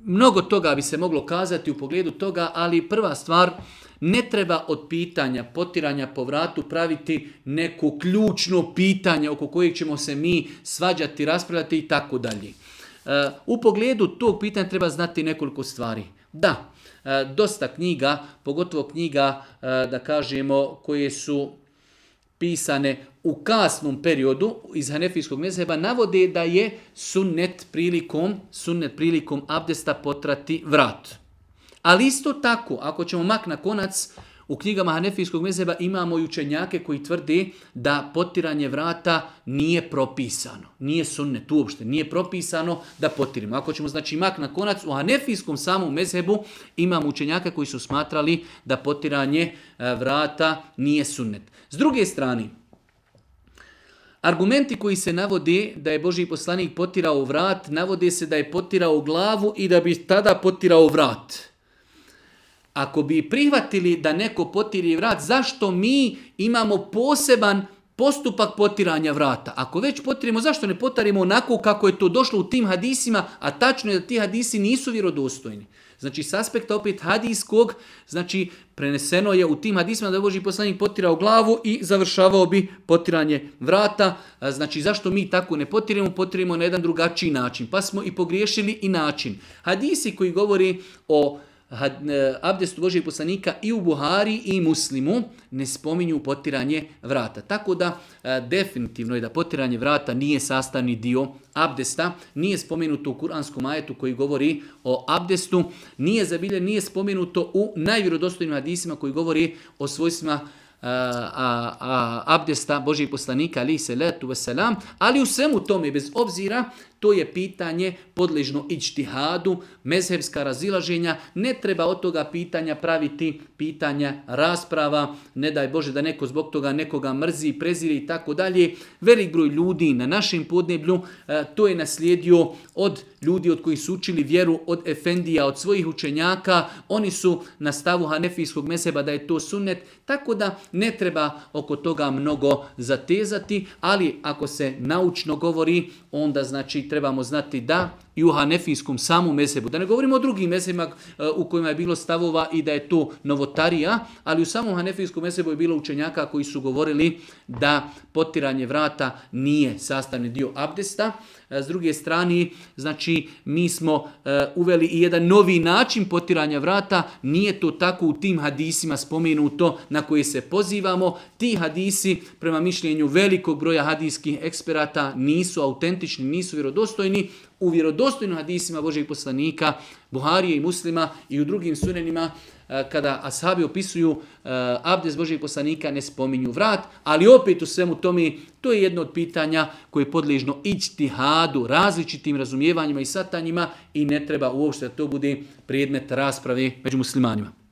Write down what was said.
Mnogo toga bi se moglo kazati u pogledu toga, ali prva stvar, ne treba od pitanja potiranja po vratu praviti neko ključno pitanje oko kojeg ćemo se mi svađati, raspravljati i tako dalje. U pogledu tog pitanja treba znati nekoliko stvari. Da, dosta knjiga, pogotovo knjiga, da kažemo, koje su pisane u kasnom periodu iz hanefijskog mezheba, navode da je sunnet prilikom abdesta potrati vrat. Ali isto tako, ako ćemo mak na konac, u knjigama hanefijskog mezheba imamo i učenjake koji tvrde da potiranje vrata nije propisano. Nije sunnet uopšte, nije propisano da potirimo. Ako ćemo znači mak na konac, u hanefijskom samom mezhebu imamo učenjaka koji su smatrali da potiranje vrata nije sunnet. S druge strane, argumenti koji se navode da je Božji poslanik potirao vrat, navode se da je potirao glavu i da bi tada potirao vrat. Ako bi prihvatili da neko potiri vrat, zašto mi imamo poseban postupak potiranja vrata? Ako već potirimo, zašto ne potarimo onako kako je to došlo u tim hadisima, a tačno je da ti hadisi nisu vjerodostojni. Znači, s aspekta opet hadijskog, znači, preneseno je u tim hadisima da je Božji poslanik potirao glavu i završavao bi potiranje vrata. Znači, zašto mi tako ne potirimo? Potirimo na jedan drugačiji način. Pa smo i pogriješili i način. Hadisi koji govori o abdestu Božjeg poslanika i u Buhari i Muslimu ne spominju potiranje vrata. Tako da definitivno je da potiranje vrata nije sastavni dio abdesta, nije spomenuto u kuranskom ajetu koji govori o abdestu, nije spomenuto u najvjerodostojnim hadisima koji govori o svojstvima abdesta Božjeg poslanika alejhi selatu vesselam, ali u svemu tome, bez obzira, to je pitanje podležno iđtihadu, mezhebska razilaženja, ne treba od toga pitanja praviti pitanja rasprava, ne daj Bože da neko zbog toga nekoga mrzi, preziri i tako dalje. Velik broj ljudi na našem podneblju to je naslijedio od ljudi od kojih su učili vjeru, od efendija, od svojih učenjaka, oni su na stavu hanefijskog mezheba da je to sunnet, tako da ne treba oko toga mnogo zatezati, ali ako se naučno govori, onda znači trebamo znati da i u hanefijskom samom mezhebu, da ne govorimo o drugim mezhebima u kojima je bilo stavova i da je to novotarija, ali u samom hanefijskom mezhebu je bilo učenjaka koji su govorili da potiranje vrata nije sastavni dio abdesta. S druge strane, znači mi smo uveli i jedan novi način potiranja vrata, nije to tako u tim hadisima spomenuto na koje se pozivamo. Ti hadisi, prema mišljenju velikog broja hadijskih eksperata, nisu autentični, nisu vjerodostojni. U vjerodostojnim hadisima Božjeg poslanika, Buharije i Muslima i u drugim sunenima, kada ashabi opisuju abdest Božjeg poslanika, ne spominju vrat, ali opet u svemu tome, to je jedno od pitanja koje je podležno iđtihadu, različitim razumijevanjima i satanjima i ne treba uopšte da to bude predmet rasprave među muslimanima.